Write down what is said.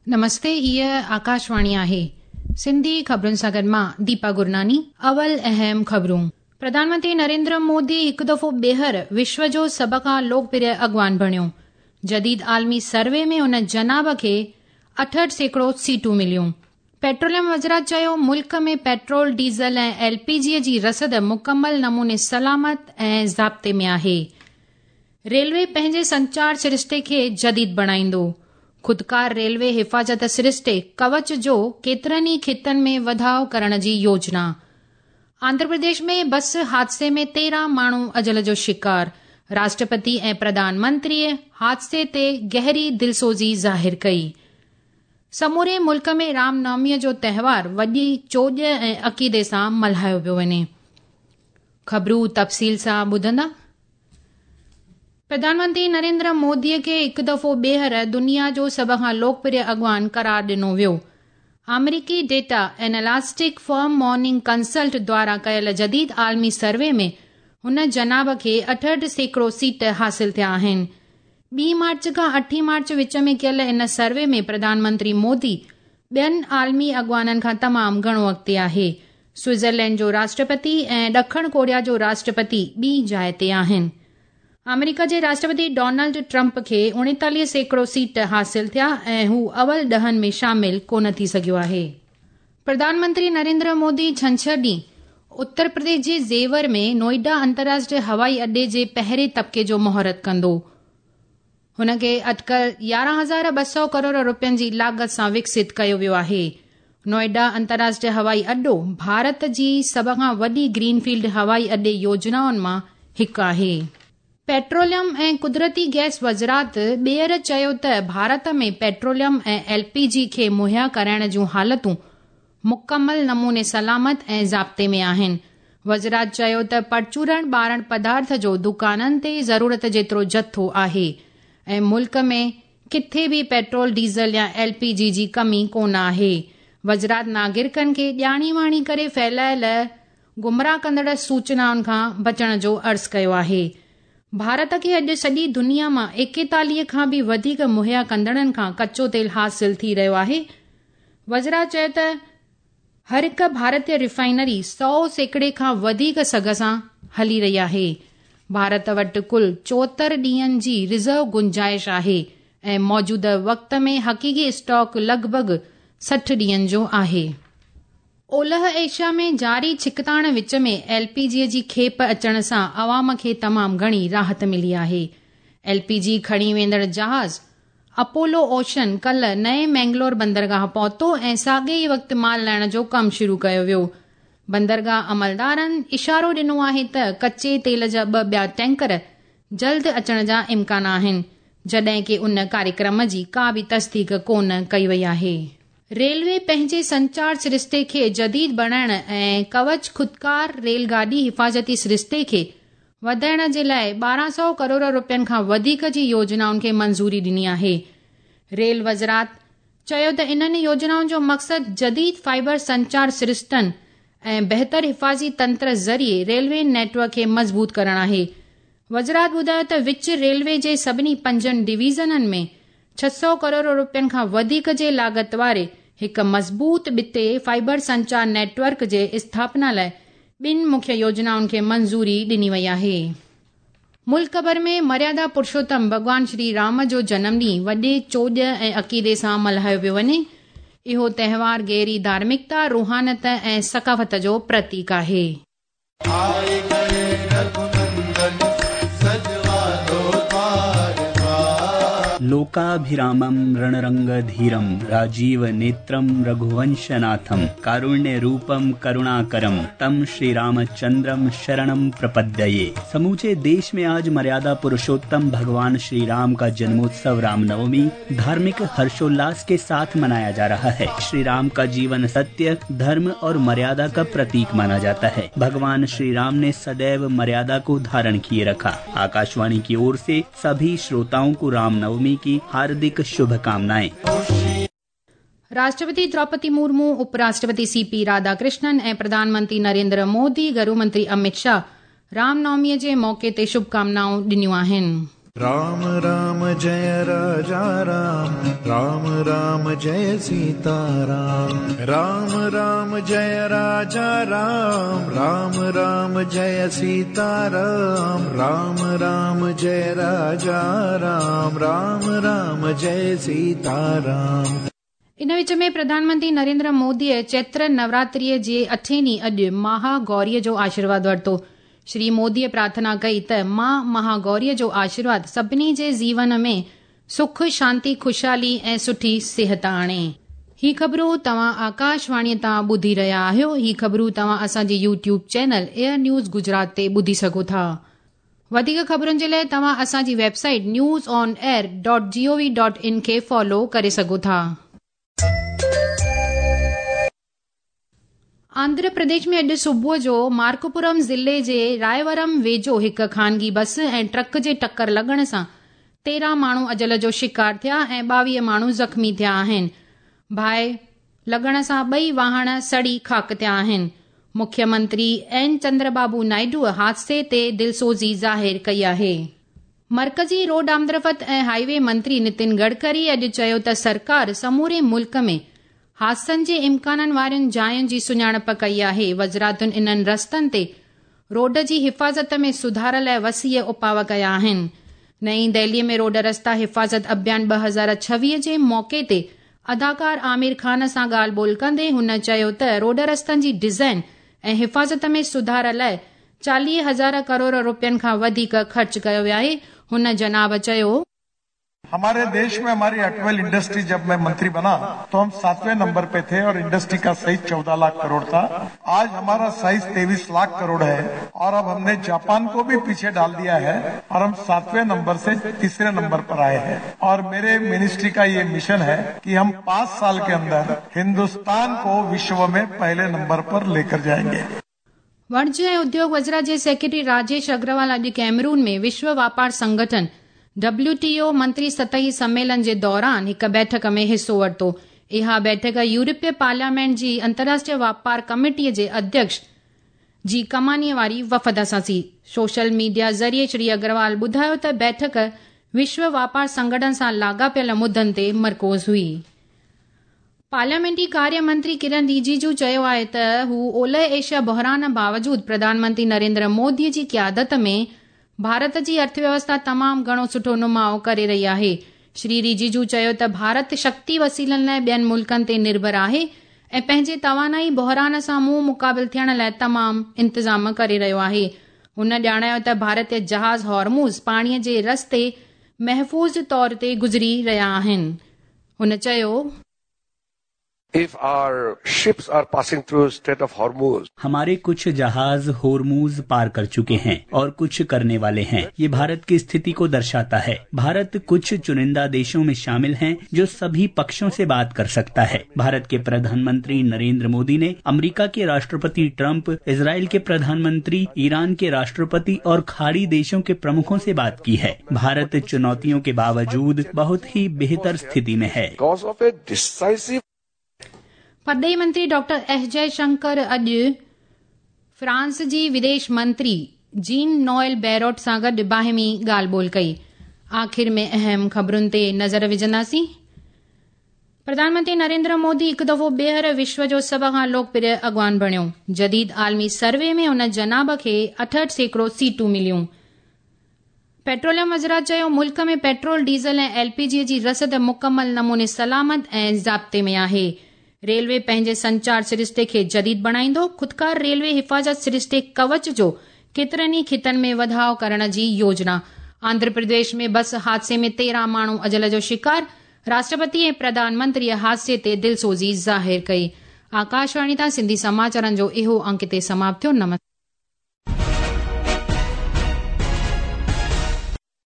نمستي هيء آڪاشواڻي آهي. سنڌي خبرن سان گڏ مان ديپا گرناني. اول اهم خبرون. پرڌان منتري نريندر مودي هڪ دفعو ٻيهر وشو جو سڀ کان لوڪپريه اڳواڻ بڻيو. جديد عالمي سروي ۾ ان جناب کي 68% سيٽون مليون. پيٽروليم وزارت چيو ملڪ ۾ پيٽرول، ڊيزل ۽ ايل پي جي جي رسد مڪمل نموني سلامت ۽ ضابطي ۾ آهي. ريلوي پنهنجي سنچار سرشتي کي جديد بڻائيندو. خودڪار ريلوي حفاظت سرشتي ڪوچ جو ڪيترن ئي خطن ۾ وڌاء ڪرڻ جي يوجنا. آنڌرا پرديش ۾ بس حادثي ۾ 13 ماڻهو اجل جو شڪار، راشٽرپتي ۽ پرڌان منتريء حادثي تي گهري دلسوزي ظاهر ڪئي. سموري ملڪ ۾ رام نوميء جو تهوار وڏي چوڄ ۽ عقيدي سان ملهايو پيو وڃي. خبرون تفصيل سان ٻڌندا. پرڌان منتري نريندر مودي کي هڪ دفعو ٻيهر دنيا جو سڀ کان لوڪپريه اڳواڻ قرار ڏنو ويو. آمريڪي data analytic firm Morning Consult دواران ڪيل جديد عالمي سروي ۾ هن جناب کي 68% سيٽ حاصل ٿيا آهن. ٻي مارچ کان اٺين مارچ وچ ۾ ڪيل ان سروي ۾ پرڌان منتري مودي ٻين عالمي اڳواڻن کان تمام گهڻو اڳتي آهي. سوئٽزرلينڊ جو راشٽرپتي ۽ ڏکڻ ڪوريا جو راشٽرپتي ٻي جاء تي آهن. آمريڪا جي راشٽرپتي ڊونلڊ ٽرمپ کي 39% سيٽ حاصل ٿيا ۽ هو اول ڏهن ۾ شامل ڪونه ٿي سگهيو آهي. پرڌان منتري نريندر مودي ڇنڇر ڏينهن اتر پرديش جي زيور ۾ نوئيڊا انترراشٽريه هوائي اڏي جي پهرين طبقي جو مهورت ڪندو. هن کي اٽڪل 11,200 ڪروڙ روپين جي لاڳت سان وڪست ڪيو ويو آهي. نوئيڊا انترراشٽريه هوائي اڏو ڀارت جي سڀ کان وڏي گرين فيلڊ هوائي اڏي يوجنائن مان هڪ آهي. پيٽروليم ۽ قدرتي گئس وزارت ٻيهر چيو ته ڀارت ۾ پيٽروليم ۽ ايل پي جي کي مهيا ڪرائڻ جون حالتون مڪمل نموني سلامت ۽ ضابطي ۾ آهن. وزارت چيو ته پرچورڻ ٻارڻ پدارٿ جو دڪانن تي ضرورت جيترو جٿو آهي ۽ ملڪ ۾ ڪٿي به پيٽرول، ڊيزل يا ايل پي جي جي ڪمي ڪونه آهي. وزارت ناگرڪن کي ڄاڻي واڻي ڪري ڦهلايل گمراهه ڪندڙ سوچنائن کان بچڻ جو عرض ڪيو آهي. ڀارت کي اڄ سڄي دنيا مان 41 کان به وڌيڪ مهيا ڪندڙن کان ڪچو تيل حاصل ٿي رهيو آهي. وزراء چيو ته هر هڪ ڀارتي ريفائنري 100% کان وڌيڪ سگهه سان هلي رهي آهي، ڀارت وٽ ڪل 74 ڏينهن جي ريزرو گنجائش آهي ۽ موجوده وقت ۾ حقيقي اسٽاڪ لڳ ڀڳ 60 ڏينهن جو آهي. اولهه ايشيا ۾ جاري ڇڪتاڻ وچ ۾ ايل پي جي جي کيپ اچڻ سان عوام کي تمام گهڻي راحت ملي آهي. ايل پي جي کڻي ويندڙ جهاز اپولو اوشن ڪلهه نئين مينگلور بندرگاهه پهتو ۽ ساڳئي ئي وقت مال لاهڻ جو ڪم شروع ڪيو ويو. بندرگاهه عملدارن اشارو ڏنو آهي ته ڪچي تيل جا ٻه ٻيا ٽينڪر جلد اچڻ جا امڪان آهن، جڏهن ڪي ان ڪاريڪرم جي ڪا به تصديق ڪونه ڪئي وئي آهي. ريلوي پنهنجي سنچار سرشتي کي جديد بڻائڻ ۽ ڪوچ خودڪار ريل گاڏي حفاظتي سرشتي کي وڌائڻ جي لاء 1200 ڪروڙ روپين کان وڌيڪ جي يوجنائن کي منظوري ڏني آهي. ريل وزارت چيو ته انهن يوجنائن جو مقصد جديد فائبر سنچار سرشتن ۽ بهتر حفاظي تنتر ذريعي ريلوي نيٽ ورڪ کي مضبوط ڪرڻ آهي. وزارت ٻڌايو ته وچ ريلوي جي سڀني پنجن ڊويزنن ۾ 600 ڪروڙ روپين کان وڌيڪ جي لاڳت واري هڪ مضبوط ٻٽي فائبر سنچار نيٽ ورڪ جي اسٿاپنا لاء ٻن مکيه يوجنائن کي منظوري ڏني وئي آهي. ملڪ ڀر ۾ مريادا پرشوتم ڀڳوان شري رام جو جنم ڏينهن وڏي چوڄ ۽ عقيدي سان ملهايو پيو وڃي. اهو تهوار گهري ڌارمڪتا، روحانيت ۽ ثقافت جو پرتيڪ آهي. آئي گئي رگهونندن سجوا دو دوار دوار. लोकाभिरामं रणरङ्गधीरं राजीवनेत्रं रघुवंशनाथं कारुण्यरूपं करुणाकरं तं श्री रामचंद्रम शरणं प्रपद्ये। समूचे देश में आज मर्यादा पुरुषोत्तम भगवान श्री राम का जन्मोत्सव रामनवमी धार्मिक हर्षोल्लास के साथ मनाया जा रहा है। श्री राम का जीवन सत्य, धर्म और मर्यादा का प्रतीक माना जाता है। भगवान श्री राम ने सदैव मर्यादा को धारण किए रखा। आकाशवाणी की ओर से सभी श्रोताओं को रामनवमी की हार्दिक शुभकामनाएं। राष्ट्रपति द्रौपदी मुर्मू, उपराष्ट्रपति सीपी राधाकृष्णन ऐं प्रधानमंत्री नरेंद्र मोदी, गृह मंत्री अमित शाह रामनवमीअ जे मौक़े ते शुभकामनाऊं ॾिनियूं आहिनि। राम राम जय राजा राम, राम राम जय सीता राम, राम राम जय राजा राम, राम राम जय सीता राम, राम राम जय राजा राम, राम राम जय सीता राम। इन विच में प्रधानमंत्री नरेंद्र मोदीअ चैत्र नवरात्रीअ जे अठें ॾींहुं अॼु महागौरीअ जो आशीर्वाद वरितो। श्री मोदीअ प्रार्थना कई त मां महागौरीअ जो आशीर्वाद सभिनी जे जीवन में सुख, शांति, ख़ुशहाली ऐं सुठी सिहत आणे। ही ख़बरूं तव्हां आकाशवाणीअ तां ॿुधी रहिया आहियो। ही ख़बरूं तव्हां असांजे YouTube channel AIR news Gujarat ते ॿुधी सघो था। वधीक ख़बरुनि जे लाइ तव्हां असांजी website newsonair.gov.in खे फॉलो करे सघो था। आंध्र प्रदेश में अॼु सुबुह जो मार्कपुरम ज़िले जे रायवरम वेझो हिकु ख़ानगी बस ऐं ट्रक जे टकर लॻण सां 13 माण्हू अजल जो शिकार थिया ऐं 22 माण्हू ज़ख़्मी थिया आहिनि। बाहि लॻण सां ॿई वाहण सड़ी ख़ाक थिया आहिनि। मुख्यमंत्री एन चंद्रबाबू नायडू हादसे ते दिलसोज़ी ज़ाहिर कई आहे। मर्कज़ी रोड आमदरफ़्त ऐं हाईवे मंत्री नितिन गडकरी अॼु चयो त सरकार समूरे मुल्क में हादसनि जे इम्काननि वारियुनि जायुनि जी सुञाणप कई आहे। वज़ारतुनि इन्हनि रस्तनि ते रोड जी हिफ़ाज़त में सुधार लाइ वसीअ उपाव कया आहिनि। नई दिल्लीअ में रोड रस्ता हिफ़ाज़त अभियान 2026 जे मौक़े ते अदाकार आमिर ख़ान सां ॻाल्हि ॿोल कंदे हुन चयो त रोड रस्तनि जी डिज़ाइन ऐं हिफ़ाज़त में सुधार लाइ 40,000 करोड़ रुपयनि खां वधीक ख़र्च कयो वियो आहे। हुन जनाब चयो, हमारे देश में हमारी ऑटोमोबाइल इंडस्ट्री, जब मैं मंत्री बना तो हम 7वें नंबर पे थे और इंडस्ट्री का साइज 14 लाख करोड़ था। आज हमारा साइज 23 लाख करोड़ है और अब हमने जापान को भी पीछे डाल दिया है और हम 7वें नंबर से 3रे नंबर पर आए हैं। और मेरे मिनिस्ट्री का ये मिशन है कि हम 5 साल के अंदर हिंदुस्तान को विश्व में पहले नंबर पर लेकर जाएंगे। वाणिज्य ऐं उद्योग वज़ारत जे सेक्रेटरी राजेश अग्रवाल अॼु कैमरून में विश्व वापार संगठन WTO मंत्री सतही सम्मेलन जे दौरान हिकु बैठक में हिसो वरितो। इहा बैठक यूरोपीय पार्लियामेंट जी अंतर्राष्ट्रीय वापार कमेटीअ जे अध्यक्ष जी कमानीअ वारी वफ़द सां थी। सोशल मीडिया ज़रिए श्री अग्रवाल ॿुधायो त बैठक विश्व वापार संगठन सां लाॻापियल मुद्दनि ते मरकूज़ हुई। पार्लियामेंटी कार्य मंत्री किरण रिजिजू चयो आहे त हू ओलह एशिया बहरान बावजूद प्रधानमंत्री नरेंद्र मोदी जी क़यादत में भारत जी अर्थव्यवस्था तमामु घणो सुठो नुमाओ करे रही आहे। श्री रिजिजू चयो त भारत शक्ति वसीलनि लाइ ॿियनि मुल्कनि ते निर्भर आहे ऐं पंहिंजे तवानाई बहरान सां मुंहुं मुक़ाबिल थियण लाइ तमामु इंतज़ाम करे रहियो आहे। हुन ॼाणायो त भारतीय जहाज़ हॉर्मुज़ पाणीअ जे रस्ते महफ़ूज़ तौर ते गुज़री रहिया आहिनि। हुन चयो, If our ships are passing through Strait of Hormuz, हमारे कुछ जहाज होर्मुज पार कर चुके हैं और कुछ करने वाले हैं। ये भारत की स्थिति को दर्शाता है। भारत कुछ चुनिंदा देशों में शामिल हैं जो सभी पक्षों से बात कर सकता है। भारत के प्रधानमंत्री नरेंद्र मोदी ने अमेरिका के राष्ट्रपति ट्रंप, इजराइल के प्रधानमंत्री, ईरान के राष्ट्रपति और खाड़ी देशों के प्रमुखों से बात की है। भारत चुनौतियों के बावजूद बहुत ही बेहतर स्थिति में है। परॾेही मंत्री डॉक्टर एस जयशंकर अॼु फ्रांस जी विदेश मंत्री जीन नोएल बैरोट सां गॾु बाहिमी ॻाल्हि ॿोल कई। आख़िर में अहम ख़बरुनि ते नज़र विझंदासीं। प्रधानमंत्री नरेंद्र मोदी हिकु दफ़ो ॿीहर विश्व जो सभ खां लोकप्रिय अॻवान बणियो। जदीद आलमी सर्वे में हुन जनाब खे 68% सीटूं मिलियूं। पेट्रोलियम वज़ारत चयो, मुल्क में पेट्रोल, डीज़ल ऐं LPG जी रसद मुकमल नमूने सलामत ऐं ज़ाब्ते में आहे। रेलवे पंहिंजे संचार सरिश्ते खे जदीद बणाईंदो। ख़ुदकार रेलवे हिफ़ाज़त सरिश्ते कवच जो केतिरनि ई ख़ितनि में वधाव करण जी योजना। आंध्र प्रदेश में बस हादसे में 13 माण्हू अजल जो शिकार। राष्ट्रपति ऐं प्रधानमंत्रीअ हादसे ते दिलसोज़ी ज़ाहिर कई। आकाशवाणी तां सिंधी समाचारनि जो इहो अंक हिते समाप्त थियो। नमस्कार।